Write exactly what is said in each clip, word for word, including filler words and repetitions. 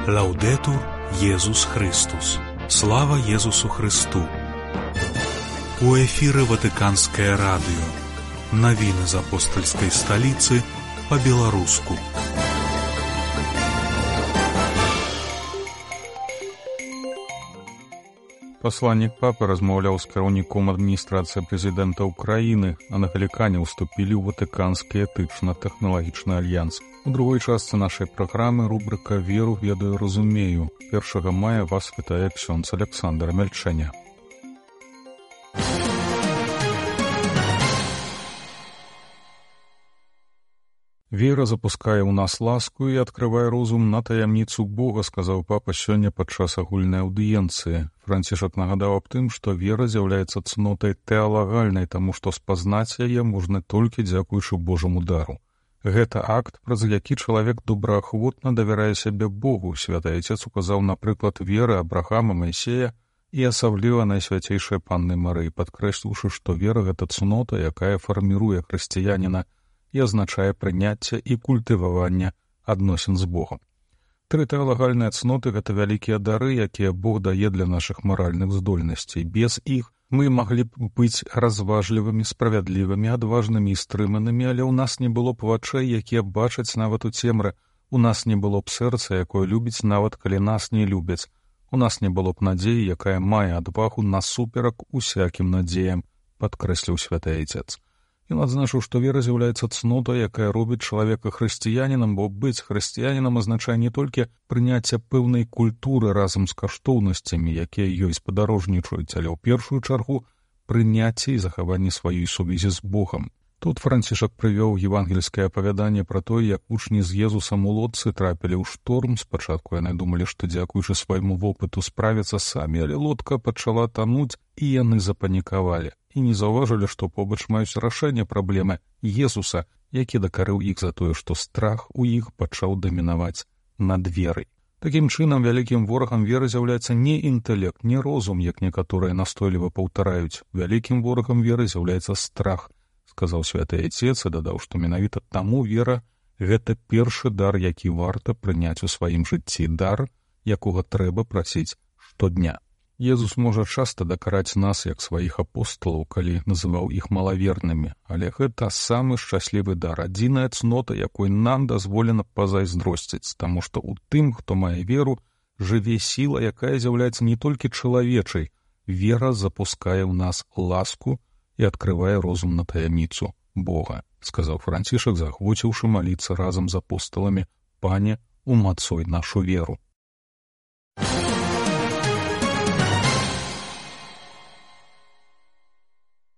Лаўдэтур Езус Христус. Слава Езусу Христу. У эфіры Ватыканскае радыё. Навіны з апостальскай сталіцы па-беларуску. Пасланнік папы размаўляў з кіраўніком адміністрацыі прэзідэнта ўкраіны, а на галікане ўступілі ў Ватыканскі этычна-тэхналагічны альянс. У другой частцы нашай праграмы рубрыка «Веру, ведаю, разумею». першага мая вас вітае ксёндз Александр Мельчэня. Вера запускае ў нас ласку і адкрывае розум на таямніцу Бога, сказаў папа сёння падчас агульнай аўдыенцыі. Францішак нагадаў аб тым, што вера з'яўляецца цнотай тэалагальнай, таму што спазнаць яе можна толькі дзякуючы Божаму дару. Гэта акт, праз які чалавек добраахвотна давярае сябе Богу. Святы Айцец указаў на прыклад веры Абрахама, Майсея і асабліва Найсвяцейшай Панны Марыі, падкрэсліўшы, што вера — гэта цнота, якая фарміруе хрысціяніна і азначае прыняцце і культываванне адносін з Богом. Тры тэалагальныя цноты — гэта вялікія дары, якія Бог дае для нашых маральных здольнасцей. Без іх мы маглі б быць разважлівымі, справядлівымі, адважнымі і стрыманымі, але ў нас не было б вачэй, якія бачаць нават у цемры, у нас не было б сэрца, якое любіць нават калі нас не любяць, у нас не было б надзеі, якая мае адвагу насуперак усякім надзеям, падкрэсліў святы Айцец. Ён адзначыў, што вера з'яўляецца цнотай, якая робіць чалавека хрысціянінам, бо быць хрысціянінам азначае не толькі прыняцце пэўнай культуры разам з каштоўнасцямі, якія ёй спадарожнічаюць, але ў першую чаргу прыняцце і захаванне сваёй сувязі з Богам. Тут Францішак прывёў евангельскае апавяданне пра тое, як вучні з Езусам у лодцы трапілі ў шторм. Спачатку яны думалі, што дзякуючы свайму вопыту справяцца самі, але лодка пачала тануць, і яны запанікавалі. І не заўважылі, што побач маюць рашэнне праблемы Езуса, які дакарыў іх за тое, што страх у іх пачаў дамінаваць над верай. Такім чынам, вялікім ворагам веры з'яўляецца не інтэлект, не розум, як некаторыя настойліва паўтараюць. Вялікім ворагам веры з'яўляецца страх, сказаў святы Айцец і дадаў, што менавіта таму вера — гэта першы дар, які варта прыняць у сваім жыцці, дар, якога трэба прасіць штодня. Езус можа часта дакараць нас, як сваіх апосталаў, калі называў іх малавернымі, але гэта самы шчаслівы дар, адзіная цнота, якой нам дазволена пазайздросціць, таму што ў тым, хто мае веру, жыве сіла, якая з'яўляецца не толькі чалавечай. Вера запускае ў нас ласку і адкрывае розум на таямніцу Бога, сказаў Францішак, заахвоціўшы маліцца разам з апосталамі: «Пане, умацуй нашу веру».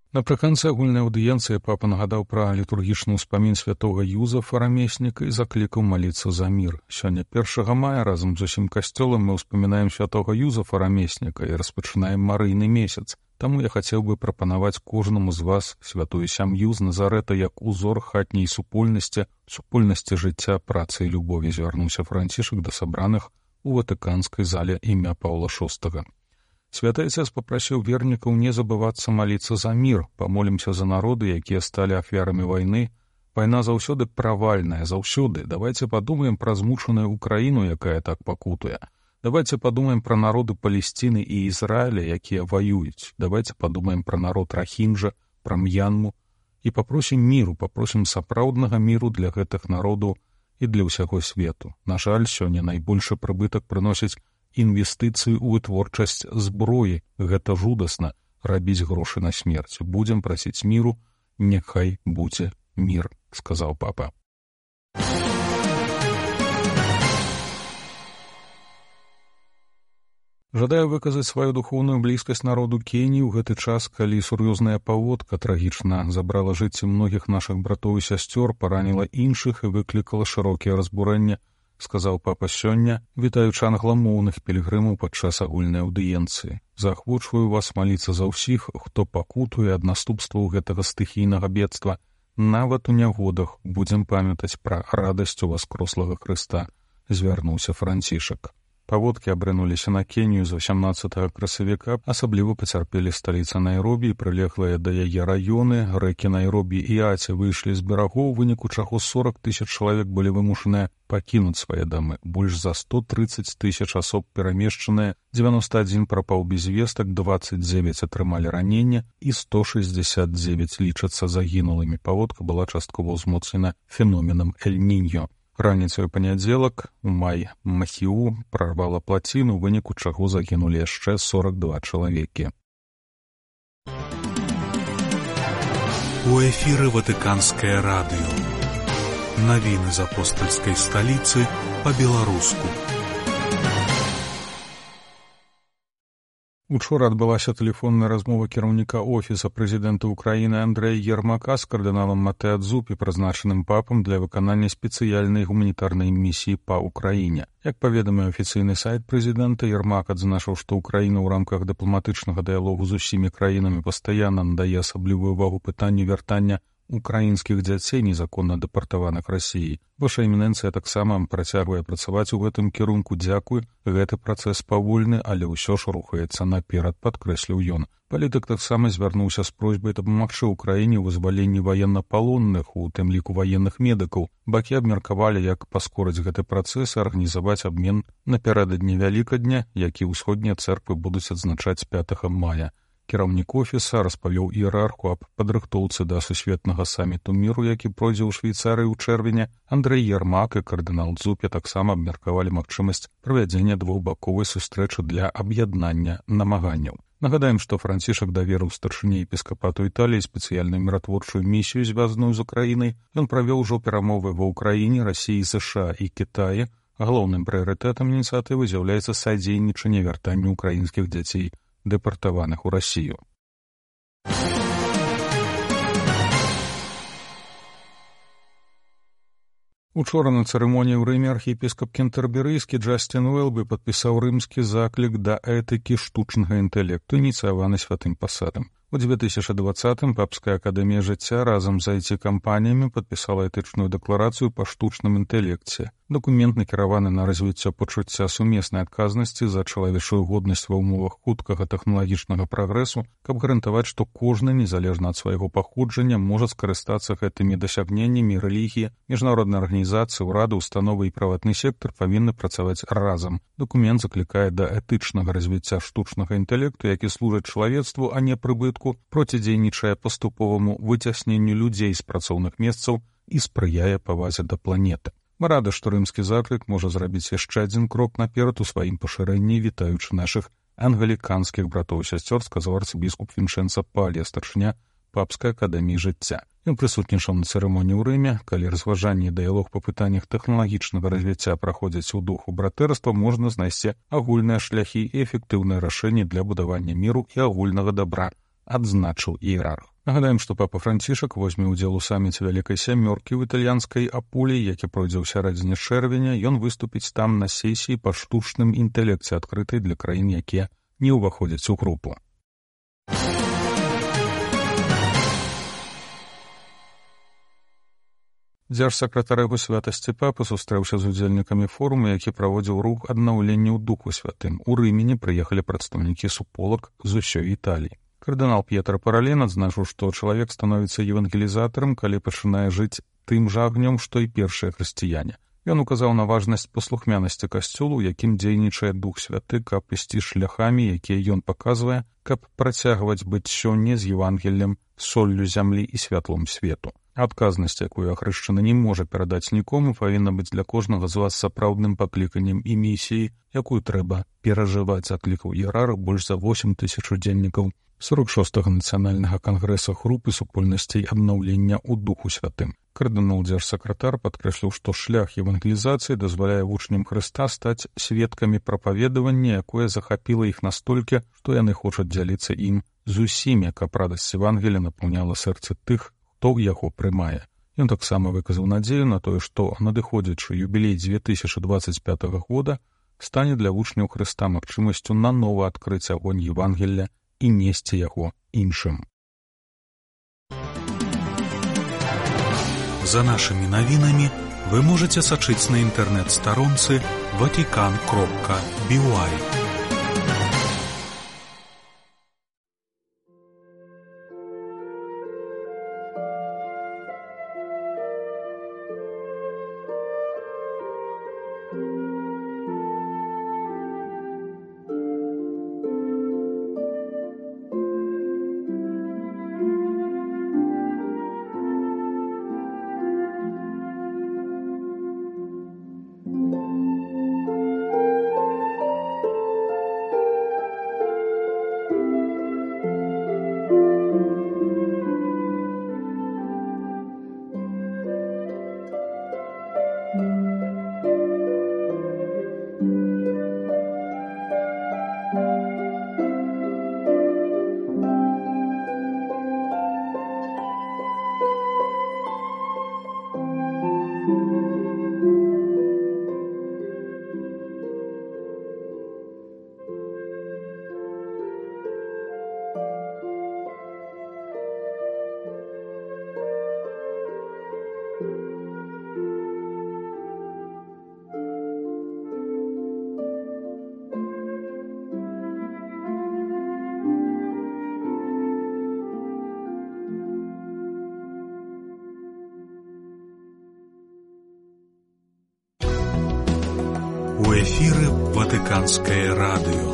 Напрыканцы агульнай аўдыенцыі папа нагадаў пра літургічны ўспамін святога Юзафа Рамесніка і заклікаў маліцца за мір. Сёння першага мая разам з усім касцёлам мы ўспамінаем святога Юзафа Рамесніка і распачынаем марыйны месяц. Таму я хацеў бы прапанаваць кожнаму з вас святую сям'ю з Назарэта як узор хатняй супольнасці, супольнасці жыцця, працы і любові, звярнуўся Францішак да сабраных у Ватыканскай зале імя Паўла шостага. Святы Айцец папрасіў вернікаў не забывацца маліцца за мір. Памолімся за народы, якія сталі ахвярамі вайны. Вайна заўсёды правальная, заўсёды. Давайце падумаем пра змучаную Украіну, якая так пакутуе. Давайце падумаем пра народы Палесціны і Ізраіля, якія ваююць. Давайце падумаем пра народ Рахінджа, пра М'янму. І папросім міру, папросім сапраўднага міру для гэтых народаў і для ўсяго свету. На жаль, сёння найбольшы прыбытак прыносіць інвестыцыі ў вытворчасць зброі. Гэта жудасна — рабіць грошы на смерць. Будзем прасіць міру, няхай будзе мір, сказаў папа. Жадаю выказаць сваю духоўную блізкасць народу Кеніі ў гэты час, калі сур'ёзная паводка трагічна забрала жыцці многіх нашых братоў і сясцёр, параніла іншых і выклікала шырокія разбурэнні, сказаў папа сёння, вітаючы англамоўных пілігрымаў падчас агульнай аўдыенцыі. Заахвочваю вас маліцца за ўсіх, хто пакутуе ад наступстваў гэтага стыхійнага бедства. Нават у нягодах будзем памятаць пра радасць уваскрослага Хрыста, звярнуўся Францішак. Паводкі абрынуліся на Кенію з васямнаццатага красавіка, асабліва пацярпелі сталіца Найробі і прылеглыя да яе раёны. Рэкі Найробі і Аці выйшлі з берагоў, у выніку чаго сорок тысяч чалавек былі вымушаныя пакінуць свае дамы. Больш за сто трыццаць тысяч асоб перамешчаныя, дзевяносто адзін прапаў без вестак, дваццаць дзевяць атрымалі ранення і сто шэсцьдзесят дзевяць лічацца загінулымі. Паводка была часткова ўзмоцнена феноменам Эль-Ніньо. Раніцай у панядзелак у май Махіу прарвала плаціну, у выніку чаго загінулі яшчэ сорок два чалавекі. У эфіры Ватыканскае радыё. Навіны з апостальскай сталіцы па-беларуску. Учора адбылася тэлефонная размова кіраўніка офіса прэзідэнта ўкраіны Андрэя Ермака з кардыналам Матэа Дзупі, прызначаным папам для выканання спецыяльнай гуманітарнай місіі па ўкраіне. Як паведаміў афіцыйны сайт прэзідэнта, Ермак адзначыў, што ўкраіна ў рамках дыпламатычнага дыялогу з усімі краінамі пастаянна надае асаблівую ўвагу пытанню вяртання украінскіх дзяцей, незаконна дэпартаваных Расіяй. Ваша эмінэнцыя таксама працягвае працаваць у гэтым кірунку. Дзякуй, гэты працэс павольны, але ўсё ж рухаецца наперад, падкрэсліў ён. Палітык таксама звярнуўся з просьбай дапамагчы ўкраіне ў вызваленні ваеннапалонных, у тым ліку ваенных медыкаў. Бакі абмеркавалі, як паскорыць гэты працэс і арганізаваць абмен напярэдадні Вялікадня, які ўсходнія цэрквы будуць адзначаць пятага мая. Кіраўнік офіса распавёў іерарху аб падрыхтоўцы да сусветнага саміту міру, які пройдзе ў Швейцарыі ў чэрвені. Андрэй Ермак і кардынал Дзупі таксама абмеркавалі магчымасць правядзення двухбаковай сустрэчы для аб'яднання намаганняў. Нагадаем, што Францішак даверыў старшыні епіскапату Італіі спецыяльную міратворчую місію, звязаную з Украінай. Ён правёў ужо перамовы ва Ўкраіне, Расіі, ЗША і Кітаі. Галоўным прыярытэтам ініцыятывы з'яўляецца садзейнічанне вяртанню украінскіх дзяцей дэпартаваных у Расію. Учора на цырымоніі ў Рыме архіепіскап кентэрберыйскі Джастин Уэлбі падпісаў рымскі заклік да этыкі штучнага інтэлекту, ініцыяваны святым пасадам. У две тысячи двадцатым Папская акадэмія жыцця разам з ай ці-кампаніямі падпісала этычную дэкларацыю па штучным інтэлекце. Дакумент накіраваны на развіццё пачуцця сумеснай адказнасці за чалавечую годнасць ва ўмовах хуткага тэхналагічнага прагрэсу, каб гарантаваць, што кожны, незалежна ад свайго паходжання, можа скарыстацца гэтымі дасягненнямі. Рэлігія, міжнародныя арганізацыі, урады, установы і прыватны сектар павінны працаваць разам. Дакумент заклікае да этычнага развіцця штучнага інтэлекту, які служыць чалавецтву, а не прыбытку, процідзейнічае паступоваму выцясненню людзей з працоўных месцаў і спрыяе павазе да планеты. Мы рады, што рымскі заклік можа зрабіць яшчэ адзін крок наперад у сваім пашырэнні, вітаючы нашых англіканскіх братоў і сясцёр, сказаў арцыбіскуп Вінчэнца Палія, старшыня Папскай акадэміі жыцця. Ён прысутнічаў на цырымоніі ў Рыме. Калі разважанні і дыялог па пытаннях тэхналагічнага развіцця праходзяць у духу братэрства, можна знайсці агульныя шляхі і эфектыўныя рашэнні для будавання міру і агульнага дабра, адзначыў іерарх. Нагадаем, што папа Францішак возьме ўдзел у саміце Вялікай сямёркі ў італьянскай Апулі, які пройдзе ў сярэдзіне чэрвеня. Ён выступіць там на сесіі па штучным інтэлекце, адкрытай для краін, якія не ўваходзяць у групу. Дзяржсакратар яго святасці папы сустрэўся з удзельнікамі форуму, які праводзіў рух аднаўлення ў духу святым. У Рымені прыехалі прадстаўнікі суполак з усёй Італіі. Кардынал П'етра Парален адзначыў, што чалавек становіцца евангелізатарам, калі пачынае жыць тым жа агнём, што і першыя хрысціяне. Ён указаў на важнасць паслухмянасці касцёлу, у якім дзейнічае Дух Святы, каб ісці шляхамі, якія ён паказвае, каб працягваць быць сёння з Евангеллем, соллю зямлі і святлом свету. Адказнасць, якую ахрышчаны не можа перадаць нікому, павінна быць для кожнага з вас сапраўдным пакліканнем і місіяй, якую трэба перажываць, заклікаў іерарх больш за восем тысяч удзельнікаў сорок шостага нацыянальнага кангрэса групы супольнасцей аднаўлення ў духу святым. Кардынал дзяржсакратар падкрэсліў, што шлях евангелізацыі дазваляе вучням Хрыста стаць сведкамі прапаведавання, якое захапіла іх настолькі, што яны хочуць дзяліцца ім з усімі, каб радасць Евангелія напаўняла сэрцы тых, хто яго прымае. Ён таксама выказаў надзею на тое, што надыходзячы юбілей две тысячи двадцать пятага года стане для вучняў Хрыста магчымасцю нанова адкрыць агонь Евангелля і несці яго іншым. За нашымі навінамі вы можаце сачыць на інтэрнэт-старонцы ватикан кропка би уай. У эфіры Ватыканскае радыё.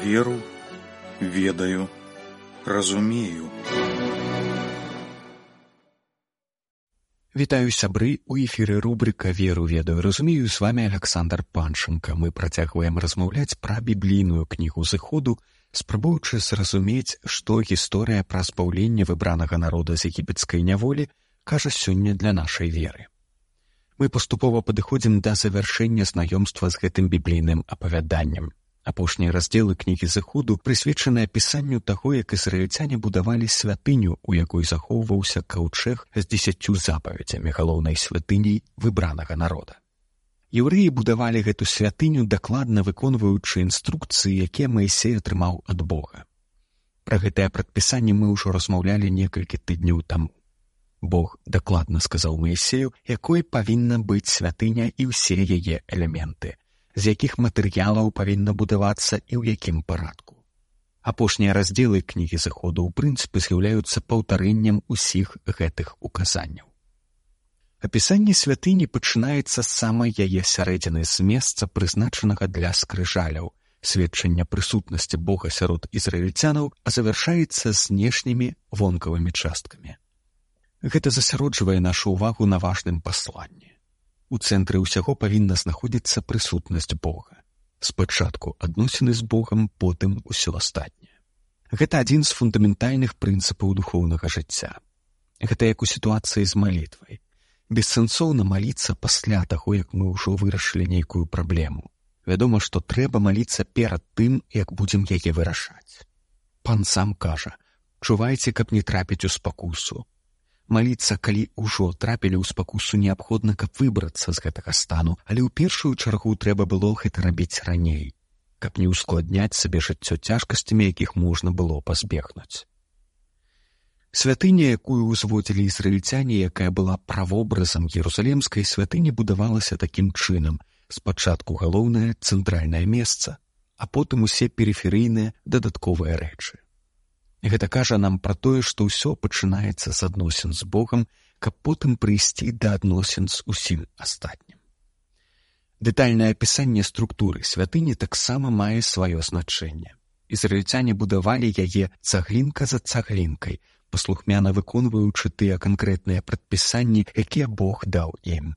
Веру, ведаю, разумею. Вітаю, сябры, у эфіры рубрика «Веру, ведаю, разумею», з вами Александр Панченко. Мы працягваем размаўляць пра біблійную кнігу Зыходу, спрабуючы зразумець, што гісторыя пра збаўленне выбранага народа з егіпецкай няволі кажа сёння для нашай веры. Мы паступова падыходзім да завяршэння знаёмства з гэтым біблійным апавяданнем. Апошнія раздзелы кнігі Зыходу прысвечаны апісанню таго, як ізраільцяне будавалі святыню, у якой захоўваўся каўчэг з дзесяццю запаведзямі, галоўнай святыняй выбранага народа. Еўрэі будавалі гэту святыню, дакладна выконваючы інструкцыі, якія Маісей атрымаў ад Бога. Пра гэтае прадпісанне мы ўжо размаўлялі некалькі тыдняў таму. Бог дакладна сказаў Маісею, якой павінна быць святыня і ўсе яе элементы, з якіх матэрыялаў павінна будавацца і ў якім парадку. Апошнія раздзелы кнігі Зыходу ў прынцыпе з'яўляюцца паўтарэннем усіх гэтых указанняў. Апісанне святыні пачынаецца з самай яе сярэдзіны, з месца, прызначанага для скрыжаляў, сведчання прысутнасці Бога сярод ізраільцянаў, а завяршаецца знешнімі вонкавымі часткамі. Гэта засяроджвае нашу ўвагу на важным пасланні. У цэнтры ўсяго павінна знаходзіцца прысутнасць Бога. Спачатку адносіны з Богам, потым усё астатняе. Гэта адзін з фундаментальных прынцыпаў духоўнага жыцця. Гэта як у сітуацыі з малітвай. Бессэнсоўна маліцца пасля таго, як мы ўжо вырашылі нейкую праблему. Вядома, што трэба маліцца перад тым, як будзем яе вырашаць. Пан сам кажа: чувайце, каб не трапіць у спакусу. Маліцца, калі ўжо трапілі ў спакусу, неабходна, каб выбрацца з гэтага стану, але ў першую чаргу трэба было гэта рабіць раней, каб не ўскладняць сабе жыццё цяжкасцямі, якіх можна было пазбегнуць. Святыня, якую ўзводзілі ізраільцяне, якая была правобразам Ерусалемскай святыні, будавалася такім чынам: спачатку галоўнае цэнтральнае месца, а потым усе перыферыйныя дадатковыя рэчы. Гэта кажа нам пра тое, што ўсё пачынаецца з адносін з Богам, каб потым прыйсці да адносін з усім астатнім. Дэтальнае апісанне структуры святыні таксама мае сваё значэнне. Ізраільцяне будавалі яе цаглінка за цаглінкай, паслухмяна выконваючы тыя канкрэтныя прадпісанні, якія Бог даў ім.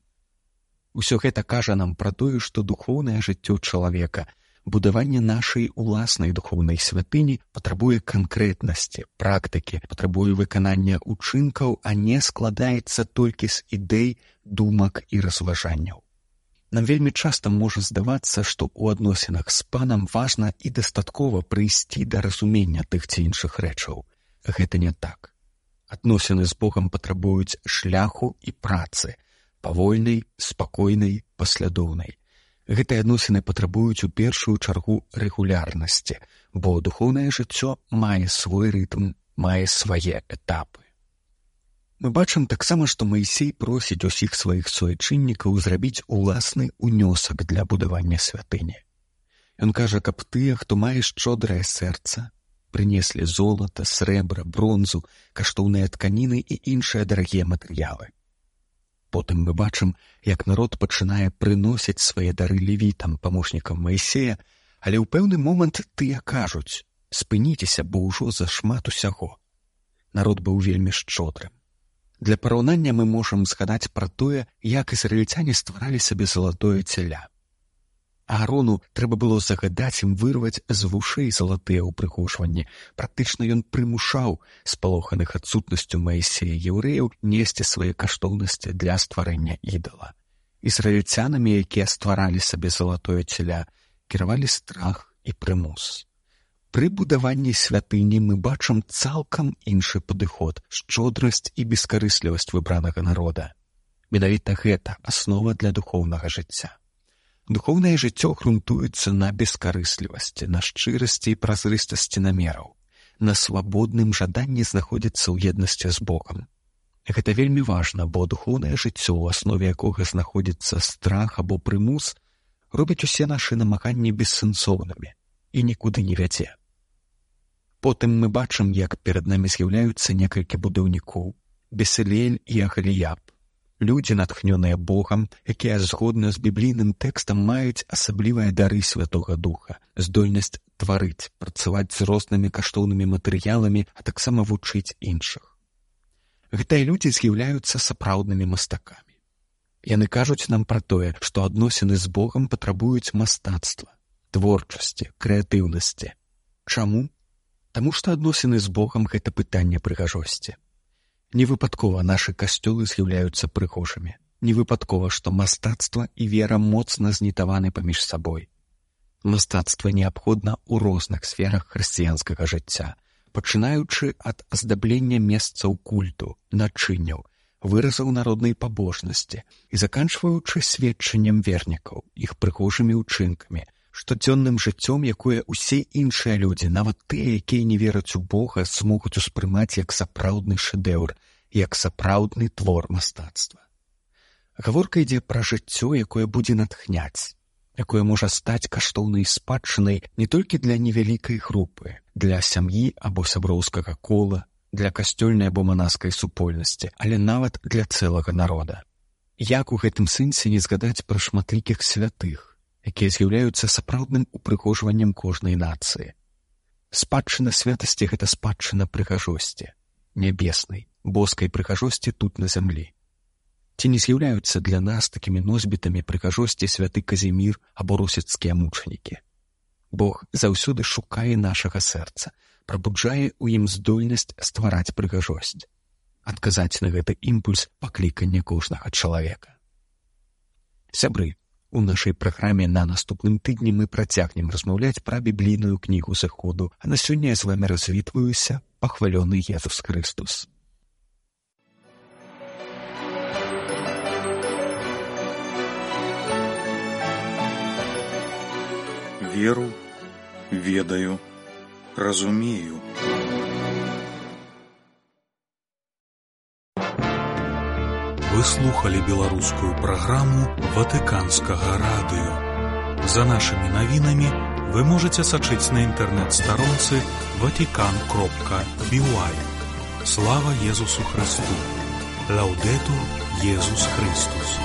Усё гэта кажа нам пра тое, што духоўнае жыццё чалавека, будаванне нашай уласнай духоўнай святыні патрабуе канкрэтнасці, практыкі, патрабуе выканання ўчынкаў, а не складаецца толькі з ідэй, думак і разважанняў. Нам вельмі часта можа здавацца, што ў адносінах з Панам важна і дастаткова прыйсці да разумення тых ці іншых рэчаў. Гэта не так. Адносіны з Богам патрабуюць шляху і працы, павольнай, спакойнай, паслядоўнай. Гэтыя адносіны патрабуюць у першую чаргу рэгулярнасці, бо духоўнае жыццё мае свой рытм, мае свае этапы. Мы бачым таксама, што Маісей просіць усіх сваіх суайчыннікаў зрабіць уласны ўнёсак для будавання святыні. Ён кажа, каб тыя, хто мае шчодрае сэрца, прынеслі золата, срэбра, бронзу, каштоўныя тканіны і іншыя дарагія матэрыялы. Потым мы бачым, як народ пачынае прыносіць свае дары левітам, памочнікам Маісея, але ў пэўны момант тыя кажуць: спыніцеся, бо ўжо зашмат усяго. Народ быў вельмі шчодрым. Для параўнання мы можам згадаць пра тое, як ізраільцяне стваралі сабе залатое цяля. Аарону трэба было загадаць ім вырваць з вушэй залатыя ўпрыгожванні. Практычна ён прымушаў спалоханых адсутнасцю Маісея яўрэяў несці свае каштоўнасці для стварэння ідала. Ізраільцянамі, якія стваралі сабе залатое цяля, кіравалі страх і прымус. Пры будаванні святыні мы бачым цалкам іншы падыход, шчодрасць і бескарыслівасць выбранага народа. Менавіта гэта аснова для духоўнага жыцця. Духоўнае жыццё грунтуецца на бескарыслівасці, на шчырасці і празрыстасці намераў, на свабодным жаданні знаходзіцца ў еднасці з Богам. Гэта вельмі важна, бо духоўнае жыццё, у аснове якога знаходзіцца страх або прымус, робіць усе нашы намаганні бессэнсоўнымі і нікуды не вядзе. Потым мы бачым, як перад намі з'яўляюцца некалькі будаўнікоў: Бесалель і Ахаліяб, людзі, натхнёныя Богам, якія згодна з біблійным тэкстам маюць асаблівыя дары Святога Духа, здольнасць тварыць, працаваць з рознымі каштоўнымі матэрыяламі, а таксама вучыць іншых. Гэтыя людзі з'яўляюцца сапраўднымі мастакамі. Яны кажуць нам пра тое, што адносіны з Богам патрабуюць мастацтва, творчасці, крэатыўнасці. Чаму? Таму што адносіны з Богам — гэта пытанне прыгажосці. Невыпадкова нашы касцёлы з'яўляюцца прыгожымі. Невыпадкова, што мастацтва і вера моцна знітаваны паміж сабой. Мастацтва неабходна ў розных сферах хрысціянскага жыцця, пачынаючы ад аздаблення месцаў культу, начынняў, выразаў народнай пабожнасці і заканчваючы сведчаннем вернікаў, іх прыгожымі ўчынкамі, штодзённым жыццём, якое ўсе іншыя людзі, нават тыя, якія не вераць у Бога, змогуць успрымаць як сапраўдны шэдэўр, як сапраўдны твор мастацтва. Гаворка ідзе пра жыццё, якое будзе натхняць, якое можа стаць каштоўнай спадчынай не толькі для невялікай групы, для сям'і або сяброўскага кола, для касцёльнай або манаскай супольнасці, але нават для цэлага народа. Як у гэтым сэнсе не згадаць пра шматлікіх святых, якія з'яўляюцца сапраўдным упрыгожваннем кожнай нацыі. Спадчына святасці — гэта спадчына прыгажосці, нябеснай, боскай прыгажосці тут на зямлі. Ці не з'яўляюцца для нас такімі носьбітамі прыгажосці святы Казімір або русіцкія мучанікі? Бог заўсёды шукае нашага сэрца, прабуджае ў ім здольнасць ствараць прыгажосць. Адказаць на гэты імпульс — пакліканне кожнага чалавека. Сябры, у нашай праграме на наступным тыдні мы працягнем размаўляць пра біблійную кнігу Зыходу, а на сёння я з вамі развітваюся. Пахвалёны Езус Христос. Веру, ведаю, разумею. Вы слухали беларускую праграму Ватыканскага радыё. За нашымі навінамі вы можаце сачыць на інтэрнэт-старонцы ватикан кропка би уай. Слава Езусу Христу! Лаўдэтур Езус Христус!